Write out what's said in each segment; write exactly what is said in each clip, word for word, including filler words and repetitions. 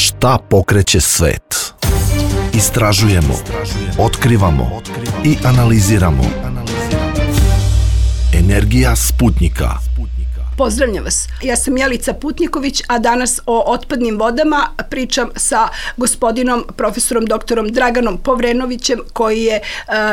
Šta pokreće svet? Istražujemo, otkrivamo i analiziramo. Energija Sputnika. Pozdravljam vas. Ja sam Jelica Putniković, a danas o otpadnim vodama pričam sa gospodinom profesorom doktorom Draganom Povrenovićem, koji je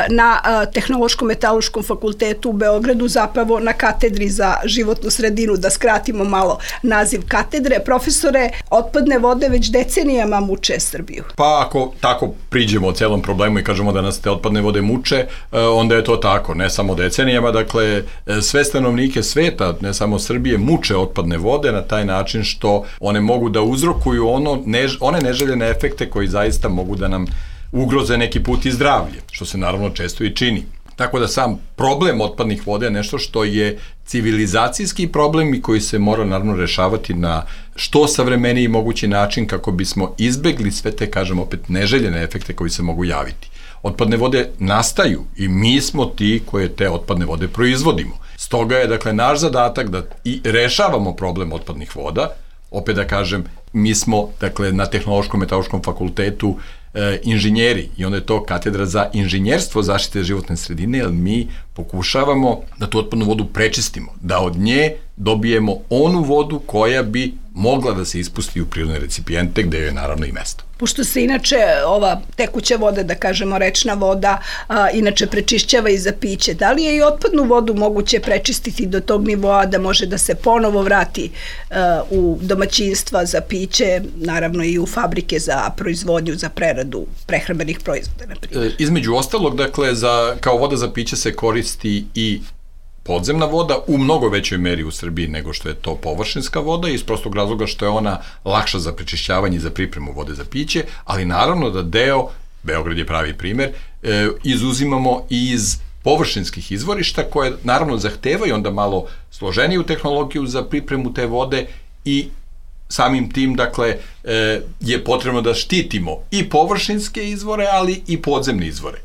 na Tehnološkom metalurškom fakultetu u Beogradu, zapravo na katedri za životnu sredinu, da skratimo malo naziv katedre. Profesore, otpadne vode već decenijama muče Srbiju. Pa ako tako priđemo o celom problemu i kažemo da nas te otpadne vode muče, onda je to tako, ne samo decenijama, dakle sve stanovnike sveta, ne samo Srbije, Srbije muče otpadne vode na taj način što one mogu da uzrokuju ono, než, one neželjene efekte koji zaista mogu da nam ugroze neki put i zdravlje, što se naravno često i čini. Tako da sam problem otpadnih voda je nešto što je civilizacijski problem i koji se mora naravno rešavati na što savremeniji mogući način kako bismo izbegli sve te, kažem opet, neželjene efekte koji se mogu javiti. Otpadne vode nastaju i mi smo ti koje te otpadne vode proizvodimo. Stoga je, dakle, naš zadatak da i rešavamo problem otpadnih voda. Opet da kažem, mi smo, dakle, na Tehnološkom metalurškom fakultetu e, inženjeri i onda je to katedra za inženjerstvo zaštite životne sredine, jer mi pokušavamo da tu otpadnu vodu prečistimo, da od nje dobijemo onu vodu koja bi mogla da se ispusti u prirodne recipijente, gde je naravno i mesto. Pošto se inače ova tekuća voda, da kažemo rečna voda, a, inače prečišćava i za piće, da li je i otpadnu vodu moguće prečistiti do tog nivoa da može da se ponovo vrati a, u domaćinstva za piće, naravno i u fabrike za proizvodnju, za preradu prehrambenih proizvoda, na primjer? E, između ostalog, dakle, za, kao voda za piće se koristi i podzemna voda u mnogo većoj meri u Srbiji nego što je to površinska voda, iz prostog razloga što je ona lakša za prečišćavanje i za pripremu vode za piće, ali naravno da deo, Beograd je pravi primer, e, izuzimamo iz površinskih izvorišta koje naravno zahtevaju onda malo složeniju tehnologiju za pripremu te vode i samim tim, dakle, e, je potrebno da štitimo i površinske izvore, ali i podzemne izvore.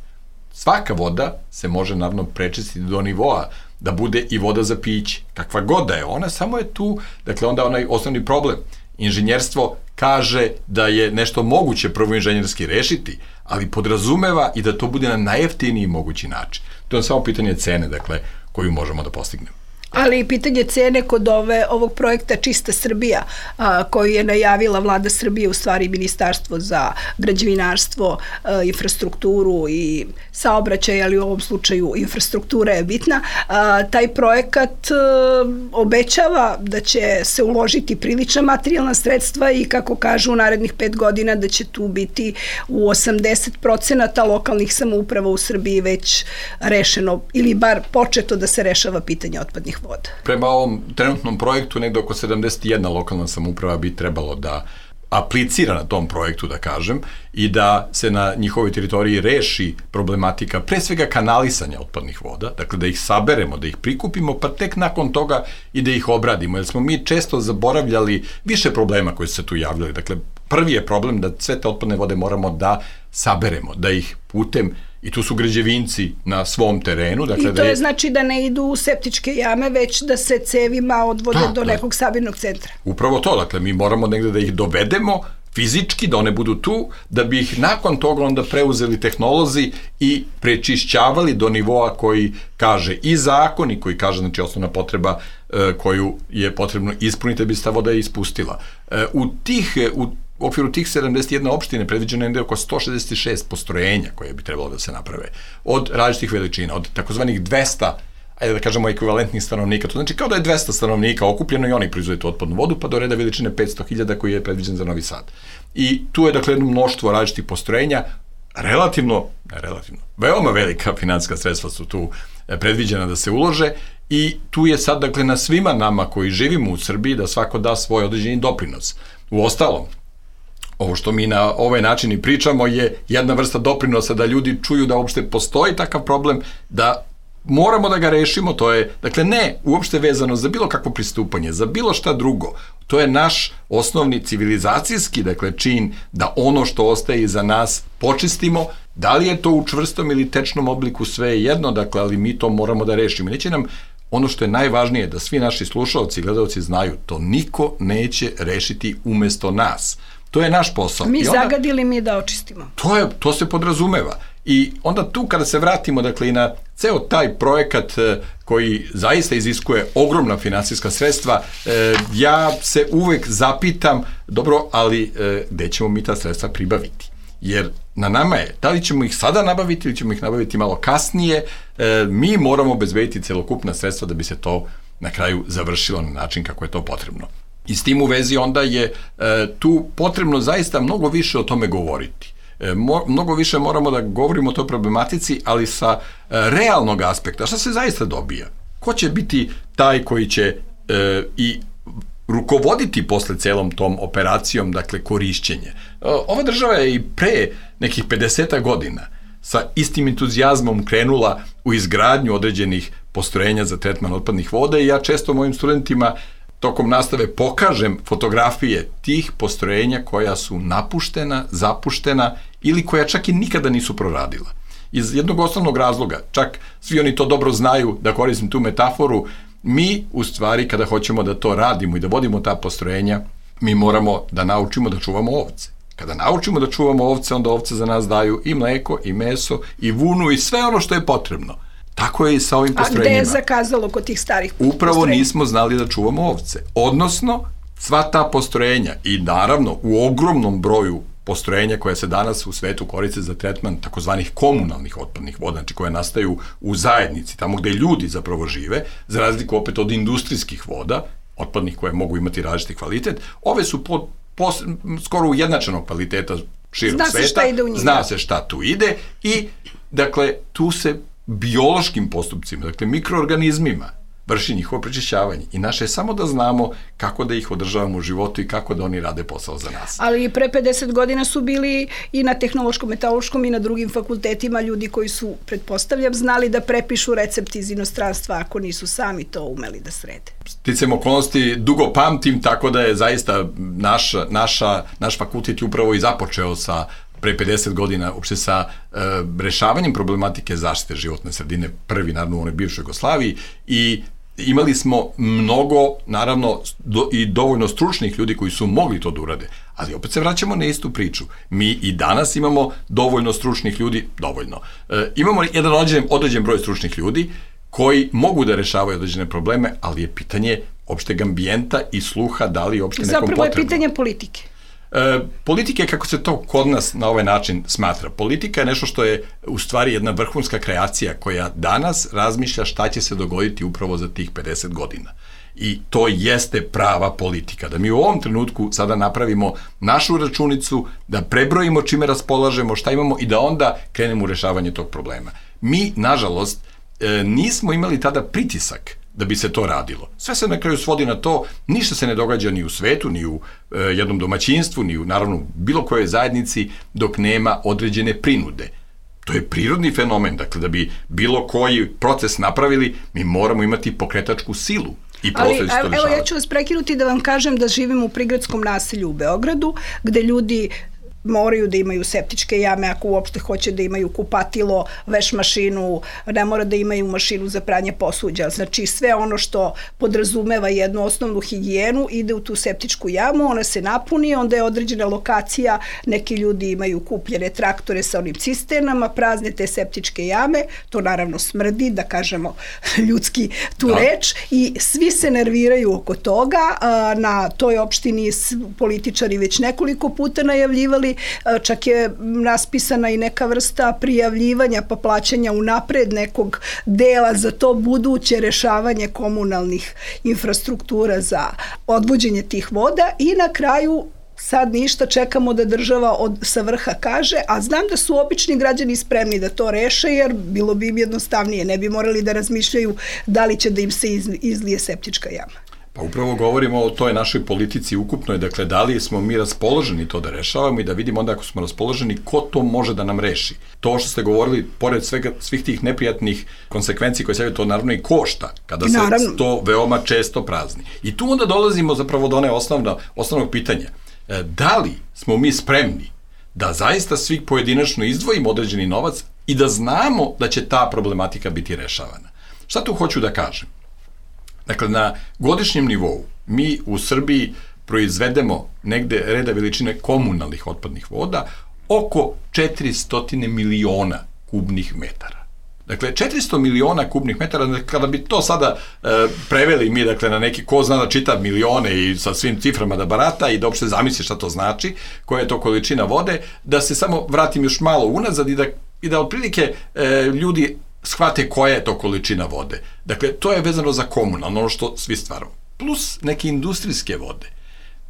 Svaka voda se može naravno prečistiti do nivoa da bude i voda za piće. Kakva god da je ona, samo je tu, dakle, onda onaj osnovni problem. Inženjerstvo kaže da je nešto moguće prvo inženjerski rešiti, ali podrazumeva i da to bude na najjeftiniji mogući način. To je samo pitanje cene, dakle, koju možemo da postignemo. Ali i pitanje cene kod ove, ovog projekta Čista Srbija, a, koju je najavila vlada Srbije, u stvari Ministarstvo za građevinarstvo, a, infrastrukturu i saobraćaj, ali u ovom slučaju infrastruktura je bitna. A, taj projekat a, obećava da će se uložiti prilična materijalna sredstva i, kako kažu, u narednih pet godina da će tu biti u osamdeset procenata lokalnih samouprava u Srbiji već rešeno, ili bar početo da se rešava pitanje otpadnih voda. Prema ovom trenutnom projektu negde oko sedamdeset jedna lokalna samouprava bi trebalo da aplicira na tom projektu, da kažem, i da se na njihovoj teritoriji reši problematika pre svega kanalisanja otpadnih voda, dakle da ih saberemo, da ih prikupimo, pa tek nakon toga i da ih obradimo, jer smo mi često zaboravljali više problema koji su se tu javljali. Dakle, prvi je problem da sve te otpadne vode moramo da saberemo, da ih putem, i tu su građevinci na svom terenu. Dakle, I to da je, je znači da ne idu u septičke jame, već da se cevima odvode da, do nekog sabirnog centra. Upravo to, dakle, mi moramo negde da ih dovedemo fizički, da one budu tu, da bi ih nakon toga onda preuzeli tehnolozi i prečišćavali do nivoa koji kaže i zakon i koji kaže, znači, osnovna potreba e, koju je potrebno ispuniti da bi se ta voda ispustila. E, u tih, u U okviru tih sedamdeset jedna opštine predviđeno je oko sto šezdeset šest postrojenja koje bi trebalo da se naprave od različitih veličina, od takozvanih dvesta, ajde da kažemo, ekvivalentnih stanovnika. To znači kao da je dvesta stanovnika okupljeno i oni proizvode tu otpadnu vodu, pa do reda veličine petsto hiljada koji je predviđen za Novi Sad. I tu je, dakle, jedno mnoštvo različitih postrojenja, relativno, ne relativno, veoma velika finansijska sredstva su tu predviđena da se ulože i tu je sad, dakle, na svima nama koji živimo u Srbiji da svako da svoj određeni doprinos. U ostalom, ovo što mi na ovaj način i pričamo je jedna vrsta doprinosa da ljudi čuju da uopšte postoji takav problem, da moramo da ga rešimo, to je, dakle, ne uopšte vezano za bilo kakvo pristupanje, za bilo šta drugo. To je naš osnovni civilizacijski, dakle, čin da ono što ostaje iza nas počistimo, da li je to u čvrstom ili tečnom obliku, sve je jedno, dakle, ali mi to moramo da rešimo. Neće nam ono što je najvažnije da svi naši slušalci i gledalci znaju, to niko neće rešiti umesto nas. To je naš posao. Mi I onda, zagadili, mi da očistimo. To, je, to se podrazumeva. I onda tu kada se vratimo dakle, i na ceo taj projekat koji zaista iziskuje ogromna finansijska sredstva, ja se uvek zapitam, dobro, ali gde ćemo mi ta sredstva pribaviti? Jer na nama je, da li ćemo ih sada nabaviti ili ćemo ih nabaviti malo kasnije, mi moramo obezbediti celokupna sredstva da bi se to na kraju završilo na način kako je to potrebno. I s tim u vezi onda je tu potrebno zaista mnogo više o tome govoriti. Mnogo više moramo da govorimo o toj problematici, ali sa realnog aspekta. Šta se zaista dobija? Ko će biti taj koji će e, i rukovoditi posle celom tom operacijom, dakle, korišćenje? Ova država je i pre nekih pedeset godina sa istim entuzijazmom krenula u izgradnju određenih postrojenja za tretman otpadnih voda i ja često mojim studentima tokom nastave pokažem fotografije tih postrojenja koja su napuštena, zapuštena ili koja čak i nikada nisu proradila. Iz jednog osnovnog razloga, čak svi oni to dobro znaju, da koristim tu metaforu, mi u stvari kada hoćemo da to radimo i da vodimo ta postrojenja, mi moramo da naučimo da čuvamo ovce. Kada naučimo da čuvamo ovce, onda ovce za nas daju i mleko, i meso, i vunu, i sve ono što je potrebno. Tako je i sa ovim postrojenjima. A gde je zakazalo kod tih starih postrojenja? Upravo nismo znali da čuvamo ovce. Odnosno, sva ta postrojenja i naravno u ogromnom broju postrojenja koja se danas u svetu koriste za tretman takozvanih komunalnih otpadnih voda, znači koje nastaju u zajednici, tamo gde ljudi zapravo žive, za razliku opet od industrijskih voda, otpadnih koje mogu imati različiti kvalitet, ove su po, po, skoro ujednačenog kvaliteta širom Zna sveta. Se šta ide u njega. Zna se šta tu ide i, dakle, tu se biološkim postupcima, dakle, mikroorganizmima, vrši njihovo prečišćavanje. I naše je samo da znamo kako da ih održavamo u životu i kako da oni rade posao za nas. Ali pre pedeset godina su bili i na tehnološkom, metalurškom i na drugim fakultetima ljudi koji su, pretpostavljam, znali da prepišu recept iz inostranstva ako nisu sami to umeli da srede. Sticajem okolnosti dugo pamtim, tako da je zaista naš, naša, naš fakultet upravo i započeo sa pre pedeset godina uopšte sa e, rešavanjem problematike zaštite životne sredine, prvi naravno u onoj bivšoj Jugoslaviji, i imali smo mnogo, naravno, do, i dovoljno stručnih ljudi koji su mogli to da urade, ali opet se vraćamo na istu priču. Mi i danas imamo dovoljno stručnih ljudi, dovoljno. E, imamo jedan određen, određen broj stručnih ljudi koji mogu da rešavaju određene probleme, ali je pitanje opšteg ambijenta i sluha da li je opšte nekom potrebno. Zapravo je pitanje politike. E, politike, kako se to kod nas na ovaj način smatra. Politika je nešto što je u stvari jedna vrhunska kreacija koja danas razmišlja šta će se dogoditi upravo za tih pedeset godina. I to jeste prava politika. Da mi u ovom trenutku sada napravimo našu računicu, da prebrojimo čime raspolažemo, šta imamo i da onda krenemo u rešavanje tog problema. Mi, nažalost, e, nismo imali tada pritisak da bi se to radilo. Sve se na kraju svodi na to, ništa se ne događa ni u svetu, ni u e, jednom domaćinstvu, ni u, naravno, bilo kojoj zajednici dok nema određene prinude. To je prirodni fenomen, dakle, da bi bilo koji proces napravili, mi moramo imati pokretačku silu. I Ali, evo, ja ću vas prekinuti da vam kažem da živim u prigradskom naselju u Beogradu, gde ljudi moraju da imaju septičke jame ako uopšte hoće da imaju kupatilo, veš mašinu, ne mora da imaju mašinu za pranje posuđa. Znači sve ono što podrazumeva jednu osnovnu higijenu ide u tu septičku jamu, ona se napuni, onda je određena lokacija, neki ljudi imaju kupljene traktore sa onim cisternama, prazne te septičke jame, to naravno smrdi, da kažemo ljudski tu da. reč, i svi se nerviraju oko toga. Na toj opštini političari već nekoliko puta najavljivali, čak je raspisana i neka vrsta prijavljivanja pa plaćanja unapred nekog dela za to buduće rešavanje komunalnih infrastruktura za odvođenje tih voda, i na kraju sad ništa, čekamo da država od, sa vrha kaže, a znam da su obični građani spremni da to reše, jer bilo bi im jednostavnije, ne bi morali da razmišljaju da li će da im se izlije septička jama. Pa upravo govorimo o toj našoj politici ukupnoj, dakle, da li smo mi raspoloženi to da rešavamo i da vidimo onda ako smo raspoloženi ko to može da nam reši. To što ste govorili, pored svega, svih tih neprijatnih konsekvenci koje se to naravno i košta, kada se naravno. to veoma često prazni. I tu onda dolazimo zapravo do one osnovna, osnovnog pitanja. Da li smo mi spremni da zaista svi pojedinačno izdvojimo određeni novac i da znamo da će ta problematika biti rešavana? Šta tu hoću da kažem? Dakle, na godišnjem nivou mi u Srbiji proizvedemo negde reda veličine komunalnih otpadnih voda oko četiristo miliona kubnih metara. Dakle, četiristo miliona kubnih metara, kada bi to sada e, preveli mi, dakle, na neki, ko zna da čita milione i sa svim ciframa da barata i da uopšte zamisli šta to znači, koja je to količina vode, da se samo vratim još malo unazad i da, i da otprilike e, ljudi shvate koja je to količina vode. Dakle, to je vezano za komunalno, ono što svi stvaramo. Plus neke industrijske vode.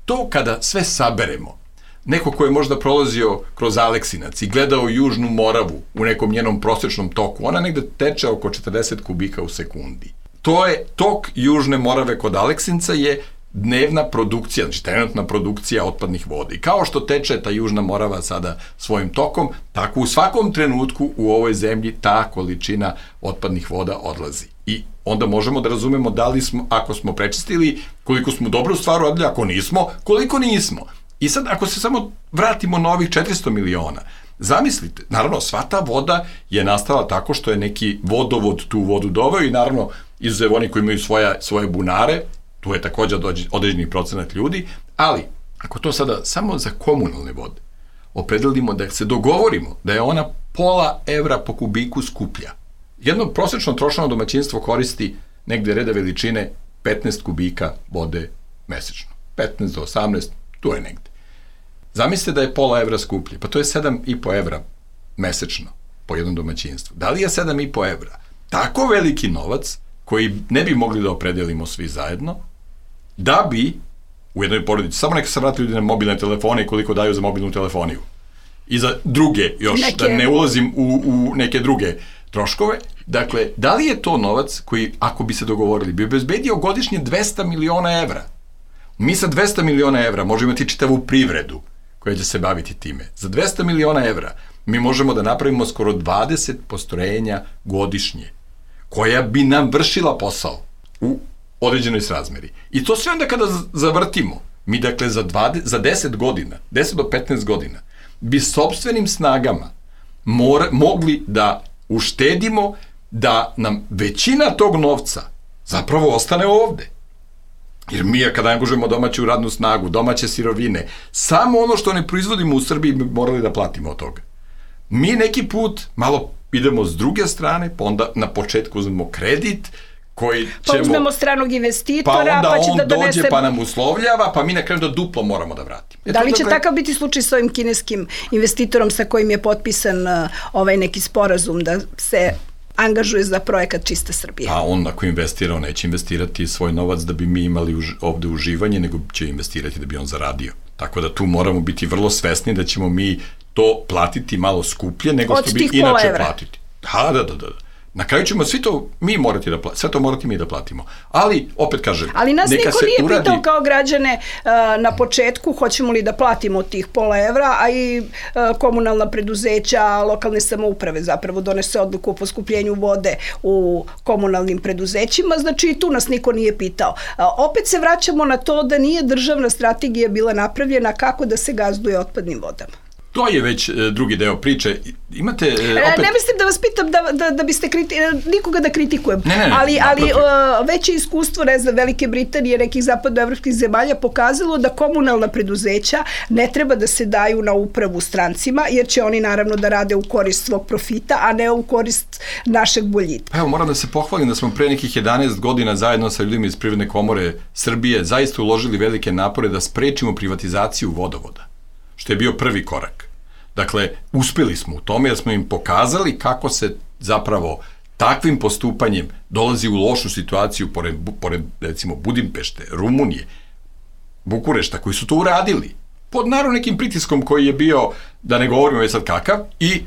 To kada sve saberemo, neko ko je možda prolazio kroz Aleksinac i gledao Južnu Moravu u nekom njenom prosječnom toku, ona negde teče oko četrdeset kubika u sekundi. To je tok Južne Morave kod Aleksinca je dnevna produkcija, znači trenutna produkcija otpadnih voda. I kao što teče ta Južna Morava sada svojim tokom, tako u svakom trenutku u ovoj zemlji ta količina otpadnih voda odlazi. I onda možemo da razumemo da li smo, ako smo prečistili, koliko smo dobro stvar uradili, ako nismo, koliko nismo. I sad, ako se samo vratimo na ovih četiristo miliona, zamislite, naravno, sva ta voda je nastala tako što je neki vodovod tu vodu doveo i naravno, izuzev oni koji imaju svoja, svoje bunare, tu je također određeni procenat ljudi, ali ako to sada samo za komunalne vode opredelimo da se dogovorimo da je ona pola evra po kubiku skuplja, jedno prosječno trošeno domaćinstvo koristi negde reda veličine petnaest kubika vode mesečno. petnaest do osamnaest, tu je negde. Zamislite da je pola evra skuplje, pa to je sedam i po evra mesečno po jednom domaćinstvu. Da li je sedam i po evra tako veliki novac koji ne bi mogli da opredelimo svi zajedno, da bi u jednoj porodici, samo neka se vrati ljudi na mobilne telefone i koliko daju za mobilnu telefoniju. I za druge još, neke... da ne ulazim u, u neke druge troškove. Dakle, da li je to novac koji, ako bi se dogovorili, bi obezbedio godišnje dvesta miliona evra? Mi sa dvesta miliona evra možemo imati čitavu privredu koja će se baviti time. Za dvesta miliona evra mi možemo da napravimo skoro dvadeset postrojenja godišnje, koja bi nam vršila posao u određenoj srazmeri. I to sve onda kada zavrtimo, mi dakle za, dvadeset, za deset godina, deset do petnaest godina, bi sopstvenim snagama mora, mogli da uštedimo da nam većina tog novca zapravo ostane ovde. Jer mi, kada angažujemo domaću radnu snagu, domaće sirovine, samo ono što ne proizvodimo u Srbiji bi morali da platimo od toga. Mi neki put malo idemo s druge strane, pa onda na početku uzmemo kredit, koji ćemo... Pa uzmemo stranog investitora, pa, onda pa će on da donese... dođe pa nam uslovljava, pa mi na kraju da duplo moramo da vratimo. Da li će dakle... takav biti slučaj s ovim kineskim investitorom sa kojim je potpisan uh, ovaj neki sporazum da se angažuje za projekat Čista Srbija? Pa on ako investira, on neće investirati svoj novac da bi mi imali už, ovde uživanje, nego će investirati da bi on zaradio. Tako da tu moramo biti vrlo svesni da ćemo mi to platiti malo skuplje nego što bi inače platiti. Da, da, da, da. Na kraju ćemo svi to mi morati da platimo, sve to morati mi da platimo. Ali, opet kažem, ali nas neka niko se nije uradi... pitao kao građane uh, na početku hoćemo li da platimo tih pola evra, a i uh, komunalna preduzeća, lokalne samouprave zapravo donese odluku o poskupljenju vode u komunalnim preduzećima, znači tu nas niko nije pitao. Uh, opet se vraćamo na to da nije državna strategija bila napravljena kako da se gazduje otpadnim vodama. To je već e, drugi deo priče. Imate e, opet... Ne mislim da vas pitam da, da, da biste kriti... nikoga da kritikujem, ne, ne, ne, ali, ali uh, veće iskustvo, ne znam, Velike Britanije, nekih zapadnoevropskih zemalja pokazalo da komunalna preduzeća ne treba da se daju na upravu strancima, jer će oni naravno da rade u korist svog profita, a ne u korist našeg boljitka. Pa evo, moram da se pohvalim da smo pre nekih jedanaest godina zajedno sa ljudima iz Privredne komore Srbije zaista uložili velike napore da sprečimo privatizaciju vodovoda, što je bio prvi korak. Dakle, uspeli smo u tome jer smo im pokazali kako se zapravo takvim postupanjem dolazi u lošu situaciju pored, pored recimo Budimpešte, Rumunije, Bukurešta, koji su to uradili pod naravno nekim pritiskom koji je bio, da ne govorimo već sad kakav, i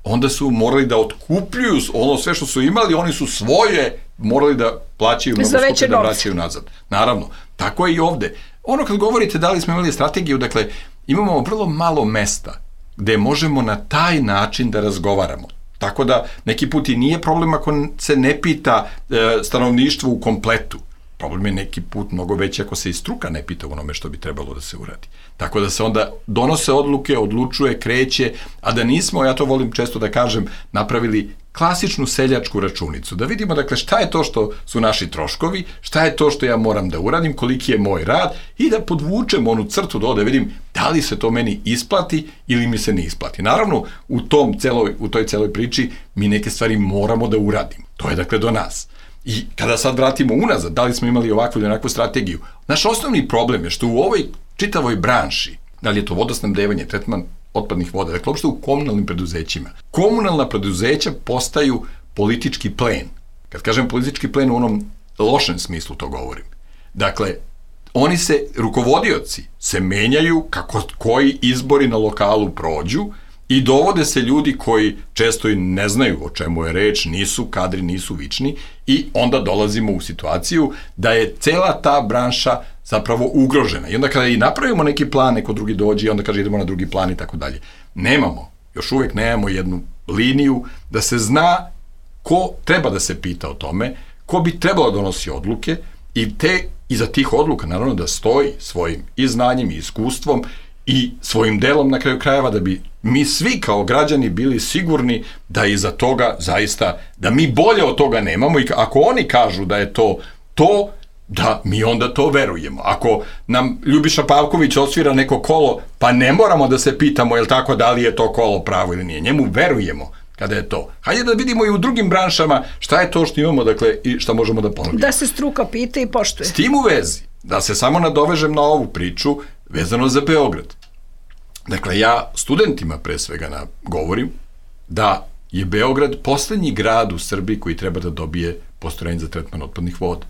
onda su morali da otkupljuju ono sve što su imali, oni su svoje morali da plaćaju mnogo skuplje da vraćaju nazad. Naravno, tako je i ovde. Ono kad govorite da li smo imali strategiju, dakle, imamo vrlo malo mesta gde možemo na taj način da razgovaramo. Tako da neki put i nije problem ako se ne pita e, stanovništvo u kompletu. Problem je neki put mnogo veći ako se i struka ne pita onome što bi trebalo da se uradi. Tako da se onda donose odluke, odlučuje, kreće, a da nismo, ja to volim često da kažem, napravili klasičnu seljačku računicu, da vidimo dakle šta je to što su naši troškovi, šta je to što ja moram da uradim, koliki je moj rad i da podvučem onu crtu do da vidim da li se to meni isplati ili mi se ne isplati. Naravno, u, tom celoj, u toj celoj priči mi neke stvari moramo da uradimo. To je dakle do nas. I kada sad vratimo unazad, da li smo imali ovakvu ili onakvu strategiju, naš osnovni problem je što u ovoj čitavoj branši, da li je to vodosnabdevanje, tretman otpadnih voda, dakle uopšte u komunalnim preduzećima, komunalna preduzeća postaju politički plen. Kad kažem politički plen, u onom lošem smislu to govorim. Dakle, oni se, rukovodioci, se menjaju kako koji izbori na lokalu prođu i dovode se ljudi koji često i ne znaju o čemu je reč, nisu kadri, nisu vični i onda dolazimo u situaciju da je cela ta branša zapravo ugrožena. I onda kada i napravimo neki plan, neko drugi dođe i onda kaže idemo na drugi plan i tako dalje. Nemamo, još uvek nemamo jednu liniju da se zna ko treba da se pita o tome, ko bi trebalo da donosi odluke i te iza tih odluka naravno da stoji svojim i znanjem i iskustvom i svojim delom na kraju krajeva da bi mi svi kao građani bili sigurni da iza toga zaista, da mi bolje od toga nemamo i ako oni kažu da je to to, da mi onda to verujemo. Ako nam Ljubiša Pavković osvira neko kolo, pa ne moramo da se pitamo, jel tako, da li je to kolo pravo ili nije. Njemu verujemo kada je to. Hajde da vidimo i u drugim branšama šta je to što imamo, dakle, i šta možemo da ponudimo. Da se struka pita i poštuje. S tim u vezi, da se samo nadovežem na ovu priču, vezano za Beograd. Dakle, ja studentima pre svega na, govorim da je Beograd poslednji grad u Srbiji koji treba da dobije postrojenje za tretman otpadnih voda.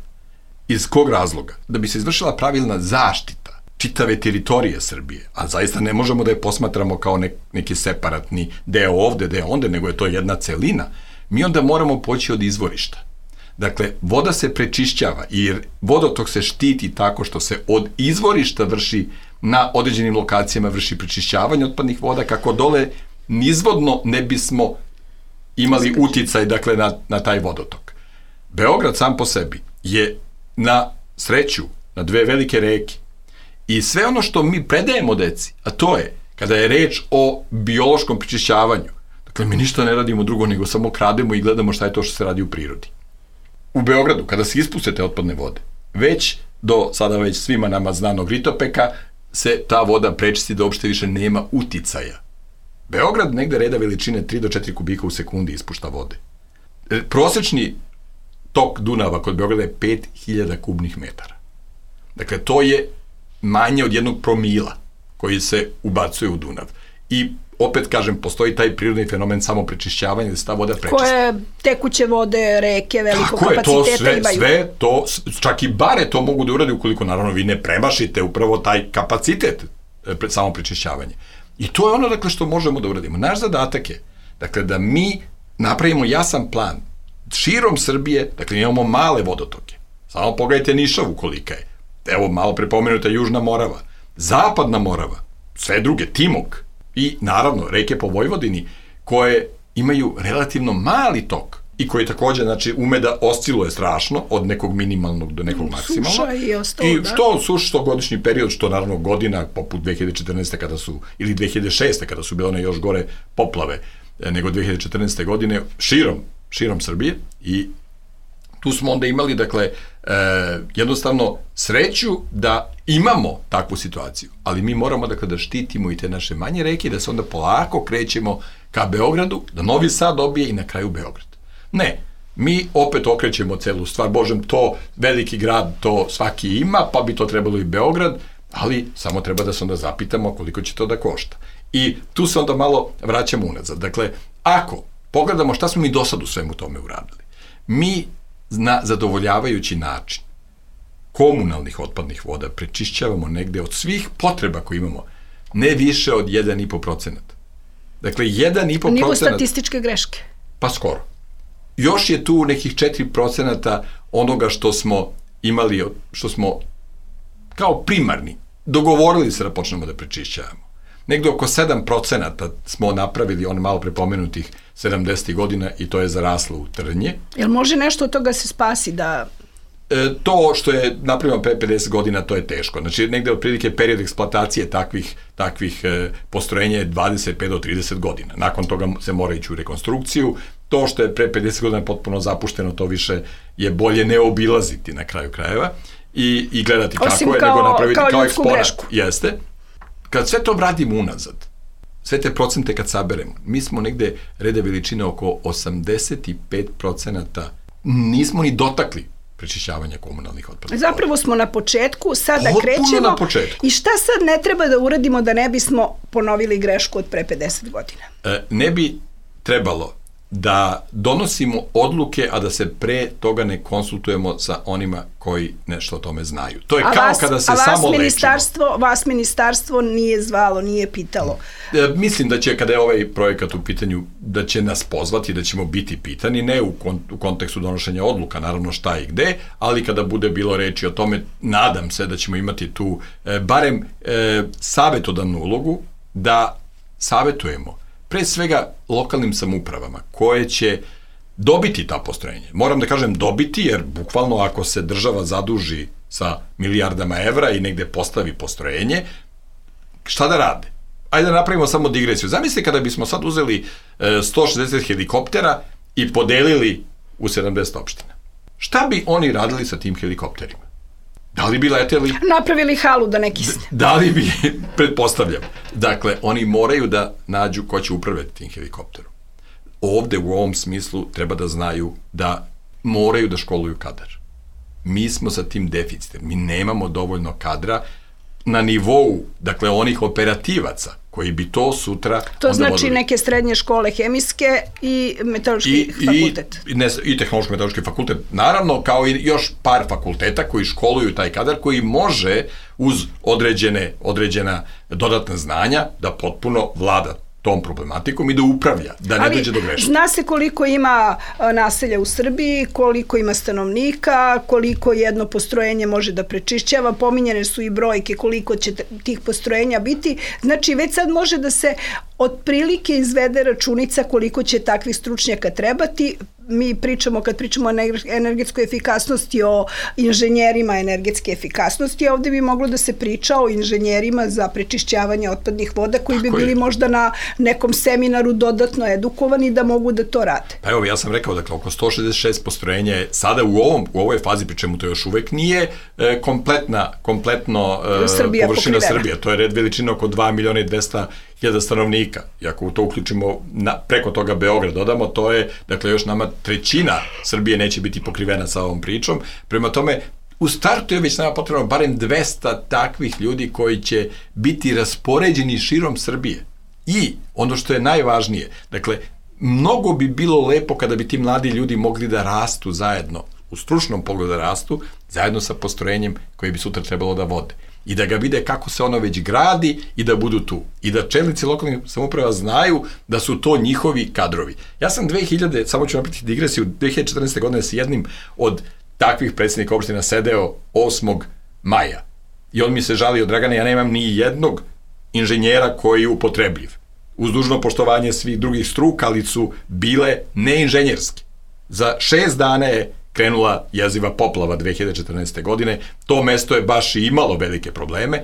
Iz kog razloga? Da bi se izvršila pravilna zaštita čitave teritorije Srbije, a zaista ne možemo da je posmatramo kao ne, neki separatni deo ovde, deo onde, nego je to jedna celina, mi onda moramo poći od izvorišta. Dakle, voda se prečišćava i vodotok se štiti tako što se od izvorišta vrši na određenim lokacijama vrši prečišćavanje otpadnih voda, kako dole nizvodno ne bismo imali uticaj, dakle, na, na taj vodotok. Beograd sam po sebi je na sreću, na dve velike reke i sve ono što mi predajemo deci, a to je kada je reč o biološkom prečišćavanju, dakle, mi ništa ne radimo drugo nego samo krademo i gledamo šta je to što se radi u prirodi. U Beogradu, kada se ispuste te otpadne vode, već do sada već svima nama znanog Ritopeka, se ta voda prečisti da uopšte više nema uticaja. Beograd negde reda veličine tri do četiri kubika u sekundi ispušta vode. Prosečni tok Dunava kod Beograda je pet hiljada kubnih metara. Dakle, to je manje od jednog promila koji se ubacuje u Dunav. I opet kažem, postoji taj prirodni fenomen samo prečišćavanja da se ta voda prečisti. Koje tekuće vode, reke, velikog kapaciteta imaju. Tako je, to sve, sve to, čak i bare to mogu da urade ukoliko naravno vi ne premašite upravo taj kapacitet samo prečišćavanja. I to je ono, dakle, što možemo da uradimo. Naš zadatak je, dakle, da mi napravimo jasan plan širom Srbije, dakle, imamo male vodotoke. Samo pogledajte Nišavu kolika je. Evo, malo prepomenuta Južna Morava, Zapadna Morava, sve druge, Timok i, naravno, reke po Vojvodini, koje imaju relativno mali tok i koji takođe, znači, ume da osciluje strašno od nekog minimalnog do nekog maksimalnog. Suša i ostalo, I da. što suš, što godišnji period, što naravno godina, poput dve hiljade četrnaeste kada su, ili dve hiljade šeste kada su bile one još gore poplave, nego dve hiljade četrnaeste godine, širom, širom Srbije i tu smo onda imali, dakle, e, jednostavno sreću da imamo takvu situaciju, ali mi moramo, dakle, da štitimo i te naše manje reke, da se onda polako krećemo ka Beogradu, da Novi Sad dobije i na kraju Beograd. Ne, mi opet okrećemo celu stvar, božem, to veliki grad, to svaki ima, pa bi to trebalo i Beograd, ali samo treba da se onda zapitamo koliko će to da košta. I tu se onda malo vraćamo unazad. Dakle, ako pogledamo šta smo mi do sad u svemu tome uradili, mi na zadovoljavajući način komunalnih otpadnih voda prečišćavamo negde od svih potreba koje imamo, ne više od jedan i po procenat. Dakle, jedan i po procenat... Nivo statističke greške. Pa skoro. Još je tu nekih četiri procenata onoga što smo imali, što smo kao primarni dogovorili se da počnemo da prečišćavamo. Negde oko sedam procenata smo napravili on malo prepomenutih sedamdesetih godina i to je zaraslo u trnje. Jel može nešto od toga se spasi da... E, to što je napravljeno pre pedeset godina, to je teško. Znači, negde otprilike period eksploatacije takvih, takvih e, postrojenja je dvadeset pet do trideset godina. Nakon toga se mora ići u rekonstrukciju to što je pre pedeset godina potpuno zapušteno, to više je bolje ne obilaziti na kraju krajeva i, i gledati osim kako je, kao, nego napraviti kao, kao ljudsku grešku. Jeste. Kad sve to vratimo unazad, sve te procente kad saberemo, mi smo negde reda veličine oko osamdeset pet procenata, nismo ni dotakli prečišćavanja komunalnih otpadnih voda. Zapravo smo na početku, sada Potpuno krećemo. Na početku. I šta sad ne treba da uradimo da ne bismo ponovili grešku od pre pedeset godina? E, ne bi trebalo da donosimo odluke, a da se pre toga ne konsultujemo sa onima koji nešto o tome znaju. To je a kao vas, kada se a vas samo ministarstvo, lečimo. Vas ministarstvo nije zvalo, nije pitalo. E, mislim da će, kada je ovaj projekat u pitanju, da će nas pozvati, da ćemo biti pitani, ne u, kon, u kontekstu donošenja odluka, naravno šta i gde, ali kada bude bilo reči o tome, nadam se da ćemo imati tu e, barem e, savetodavnu ulogu, da savetujemo pre svega lokalnim samoupravama koje će dobiti ta postrojenja. Moram da kažem dobiti, jer bukvalno ako se država zaduži sa milijardama evra i negde postavi postrojenje, šta da rade? Ajde da napravimo samo digresiju. Zamislite kada bismo sad uzeli e, sto šezdeset helikoptera i podelili u sedamdeset opština. Šta bi oni radili sa tim helikopterima? Da li bi leteli? Napravili halu da ne kisne. Da li bi, pretpostavljam. Dakle, oni moraju da nađu ko će upravljati tim helikopterom. Ovde u ovom smislu treba da znaju da moraju da školuju kadar. Mi smo sa tim deficitem. Mi nemamo dovoljno kadra na nivou, dakle, onih operativaca koji bi to sutra... To znači vodili. Neke srednje škole hemijske i meteorološki I, fakultet. I, ne, i tehnološko-meteorološki fakultet, naravno, kao i još par fakulteta koji školuju taj kadar, koji može uz određene, određena dodatna znanja da potpuno vlada tom problematikom i da upravlja, da ne dođe do greške. Zna se koliko ima naselja u Srbiji, koliko ima stanovnika, koliko jedno postrojenje može da prečišćava, pominjene su i brojke koliko će tih postrojenja biti, znači već sad može da se otprilike izvede računica koliko će takvih stručnjaka trebati. Mi pričamo, kad pričamo o energetskoj efikasnosti, o inženjerima energetske efikasnosti, ovde bi moglo da se priča o inženjerima za prečišćavanje otpadnih voda koji bi bili možda na nekom seminaru dodatno edukovani da mogu da to rade. Pa evo, ja sam rekao, dakle, oko sto šezdeset šest postrojenja je sada u, ovom, u ovoj fazi, pri čemu to još uvek nije e, kompletna, kompletno e, Srbija površina pokrivena. Srbije. To je red veličina oko dva miliona i dvesta hiljada stanovnika. I ako to uključimo na, preko toga Beograd dodamo, to je, dakle, još nama trećina Srbije neće biti pokrivena sa ovom pričom. Prema tome, u startu je već nama potrebno barem dvesta takvih ljudi koji će biti raspoređeni širom Srbije. I ono što je najvažnije, dakle, mnogo bi bilo lepo kada bi ti mladi ljudi mogli da rastu zajedno, u stručnom pogledu da rastu, zajedno sa postrojenjem koje bi sutra trebalo da vode. I da ga vide kako se ono već gradi i da budu tu. I da čelnici lokalnih samouprava znaju da su to njihovi kadrovi. Ja sam dve hiljade, samo ću napraviti digresiju, dve hiljade četrnaeste. godine s jednim od takvih predsjednika opština sedeo osmog maja. I on mi se žalio, Dragane, ja nemam ni jednog inženjera koji je upotrebljiv. Uz dužno poštovanje svih drugih struka, ali su bile neinženjerske. Za šest dana je krenula jeziva poplava dve hiljade četrnaeste. godine. To mesto je baš i imalo velike probleme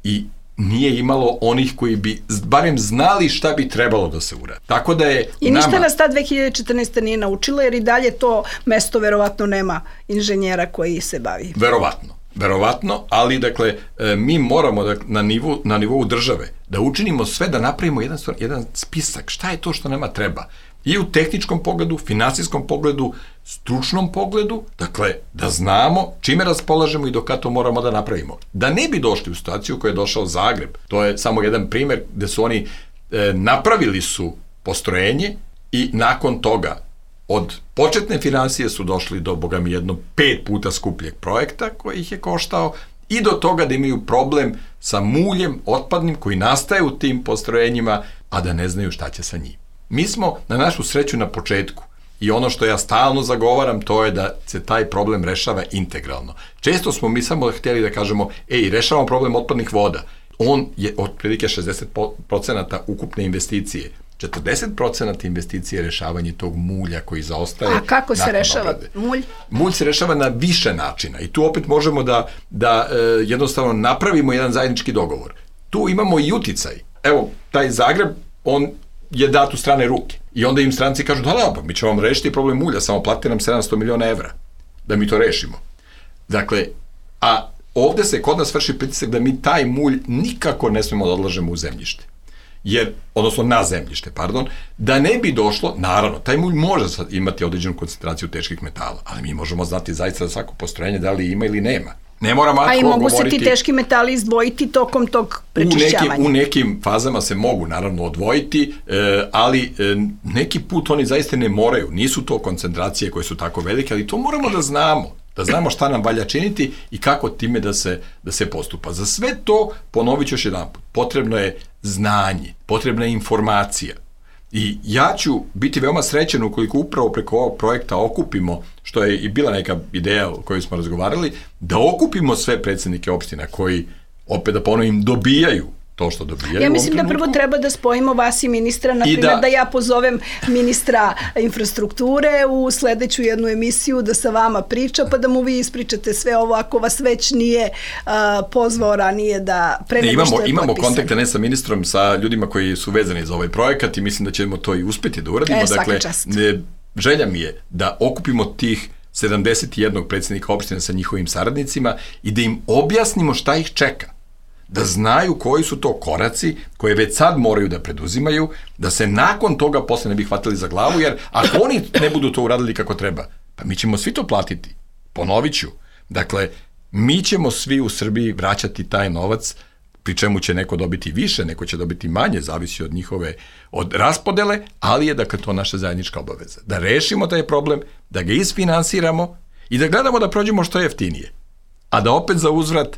i nije imalo onih koji bi barem znali šta bi trebalo da se uradi. Tako da je I ništa nama... nas ta dve hiljade četrnaeste. nije naučila, jer i dalje to mesto verovatno nema inženjera koji se bavi. Verovatno. Verovatno, ali dakle, mi moramo da, na, nivou, na nivou države da učinimo sve da napravimo jedan, jedan spisak šta je to što nama treba. I u tehničkom pogledu, finansijskom pogledu, stručnom pogledu, dakle, da znamo čime raspolažemo i do kada to moramo da napravimo. Da ne bi došli u situaciju koja je došao Zagreb. To je samo jedan primer gde su oni e, napravili su postrojenje i nakon toga od početne finansije su došli do, boga mi, jedno pet puta skupljeg projekta koji ih je koštao i do toga da imaju problem sa muljem otpadnim koji nastaje u tim postrojenjima, a da ne znaju šta će sa njim. Mi smo na našu sreću na početku i ono što ja stalno zagovaram to je da se taj problem rešava integralno. Često smo mi samo htjeli da kažemo, ej, rešavamo problem otpadnih voda. On je otprilike šezdeset procenata ukupne investicije. četrdeset procenata investicije je rešavanje tog mulja koji zaostaje. A kako se rešava obrade. mulj? Mulj se rešava na više načina i tu opet možemo da, da e, jednostavno napravimo jedan zajednički dogovor. Tu imamo i uticaj. Evo, taj Zagreb, on je dat u strane ruke. I onda im stranci kažu, da, da, pa mi ćemo vam rešiti problem mulja, samo platite nam sedamsto miliona evra da mi to rešimo. Dakle, a ovde se kod nas vrši pritisak da mi taj mulj nikako ne smemo da odlažemo u zemljište. Jer, odnosno na zemljište, pardon, da ne bi došlo, naravno, taj mulj može imati određenu koncentraciju teških metala, ali mi možemo znati zaista za svako postrojenje da li ima ili nema. Ne moramo A i mogu govoriti, se ti teški metali izdvojiti tokom tog prečišćavanja. U nekim, u nekim fazama se mogu naravno odvojiti, e, ali e, neki put oni zaista ne moraju. Nisu to koncentracije koje su tako velike, ali to moramo da znamo. Da znamo šta nam valja činiti i kako time da se, da se postupa. Za sve to, ponovit ću još jedan put, potrebno je znanje, potrebna je informacija. I ja ću biti veoma srećen ukoliko upravo preko ovog projekta okupimo, što je i bila neka ideja o kojoj smo razgovarali, da okupimo sve predsjednike opština koji, opet da ponovim, dobijaju to što dobijaju. Ja mislim da prvo treba da spojimo vas i ministra, na primjer da... da ja pozovem ministra infrastrukture u sledeću jednu emisiju da sa vama priča, pa da mu vi ispričate sve ovo ako vas već nije uh, pozvao ranije da pre nego imamo, što je imamo potpisan. kontakte ne sa ministrom, sa ljudima koji su vezani za ovaj projekat i mislim da ćemo to i uspeti da uradimo. E, dakle, ne, želja mi je da okupimo tih sedamdeset jedan predsjednika opština sa njihovim saradnicima i da im objasnimo šta ih čeka. Da znaju koji su to koraci koje već sad moraju da preduzimaju, da se nakon toga posle ne bi hvatili za glavu, jer ako oni ne budu to uradili kako treba, pa mi ćemo svi to platiti. Ponovit ću. Dakle, mi ćemo svi u Srbiji vraćati taj novac, pri čemu će neko dobiti više, neko će dobiti manje, zavisi od njihove od raspodele, ali je dakle to naša zajednička obaveza. Da rešimo taj problem, da ga isfinansiramo i da gledamo da prođemo što jeftinije. A da opet za uzvrat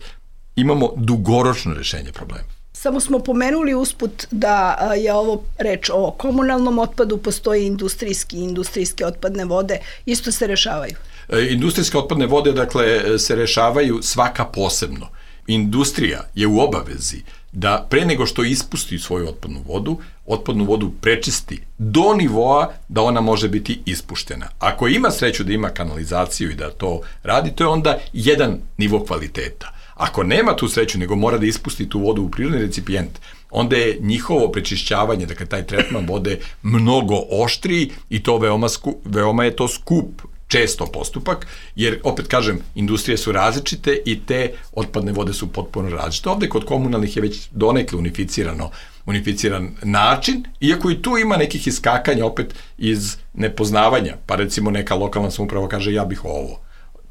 imamo dugoročno rešenje problema. Samo smo pomenuli usput da je ovo reč o komunalnom otpadu, postoji industrijski i industrijske otpadne vode, isto se rešavaju. E, industrijske otpadne vode, dakle, se rešavaju svaka posebno. Industrija je u obavezi da pre nego što ispusti svoju otpadnu vodu, otpadnu vodu prečisti do nivoa da ona može biti ispuštena. Ako ima sreću da ima kanalizaciju i da to radi, to je onda jedan nivo kvaliteta. Ako nema tu sreću, nego mora da ispusti tu vodu u prirodni recipijent, onda je njihovo prečišćavanje, dakle taj tretman vode, mnogo oštriji i to veoma, skup, veoma je to skup često postupak, jer, opet kažem, industrije su različite i te otpadne vode su potpuno različite. Ovde kod komunalnih je već donekle unificirano, unificiran način, iako i tu ima nekih iskakanja opet iz nepoznavanja, pa recimo neka lokalna samouprava kaže ja bih ovo.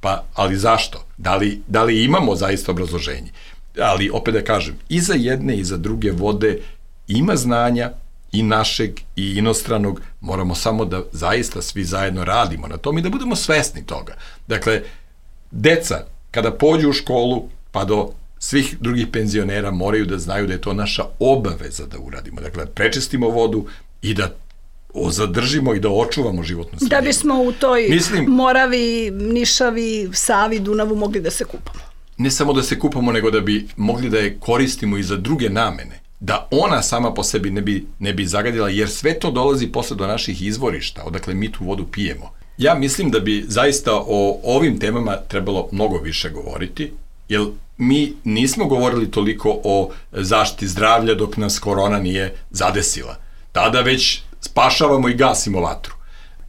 Pa, ali zašto? Da li, da li imamo zaista obrazloženje? Ali, opet da kažem, i za jedne i za druge vode ima znanja i našeg i inostranog, moramo samo da zaista svi zajedno radimo na tom i da budemo svesni toga. Dakle, deca, kada pođu u školu, pa do svih drugih penzionera moraju da znaju da je to naša obaveza da uradimo. Dakle, prečistimo vodu i da zadržimo i da očuvamo životnu sredinu. Da bismo u toj Mislim, Moravi, Nišavi, Savi, Dunavu mogli da se kupamo. Ne samo da se kupamo, nego da bi mogli da je koristimo i za druge namene. Da ona sama po sebi ne bi, ne bi zagadila, jer sve to dolazi posle do naših izvorišta, odakle mi tu vodu pijemo. Ja mislim da bi zaista o ovim temama trebalo mnogo više govoriti, jer mi nismo govorili toliko o zaštiti zdravlja dok nas korona nije zadesila. Tada već spašavamo i gasimo vatru.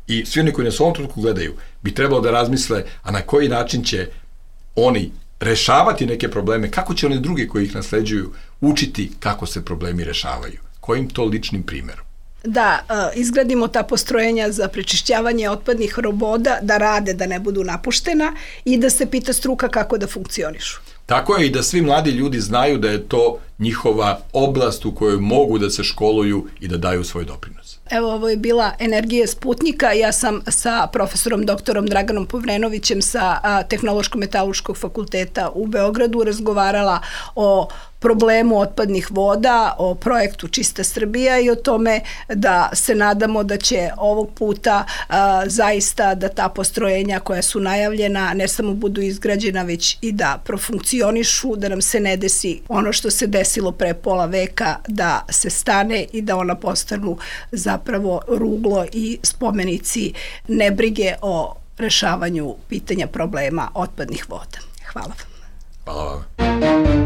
I svi oni koji nas u ovom trenutku gledaju bi trebalo da razmisle, a na koji način će oni rešavati neke probleme, kako će oni drugi koji ih nasleđuju učiti kako se problemi rešavaju, kojim to ličnim primjerom. Da izgradimo ta postrojenja za prečišćavanje otpadnih voda, da rade, da ne budu napuštena i da se pita struka kako da funkcionišu. Tako je i da svi mladi ljudi znaju da je to njihova oblast u kojoj mogu da se školuju i da daju svoj doprinos. Evo, ovo je bila Energija Sputnika. Ja sam sa profesorom doktorom Draganom Povrenovićem sa Tehnološko-metalurškog fakulteta u Beogradu razgovarala o problemu otpadnih voda, o projektu Čista Srbija i o tome da se nadamo da će ovog puta a, zaista da ta postrojenja koja su najavljena ne samo budu izgrađena, već i da profunkcionišu, da nam se ne desi ono što se desilo pre pola veka, da se stane i da ona postanu zapravo ruglo i spomenici nebrige o rešavanju pitanja problema otpadnih voda. Hvala vam. Hvala vam.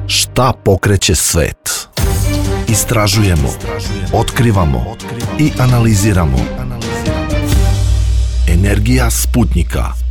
Šta pokreće svet? Istražujemo, otkrivamo i analiziramo. Energija Sputnika.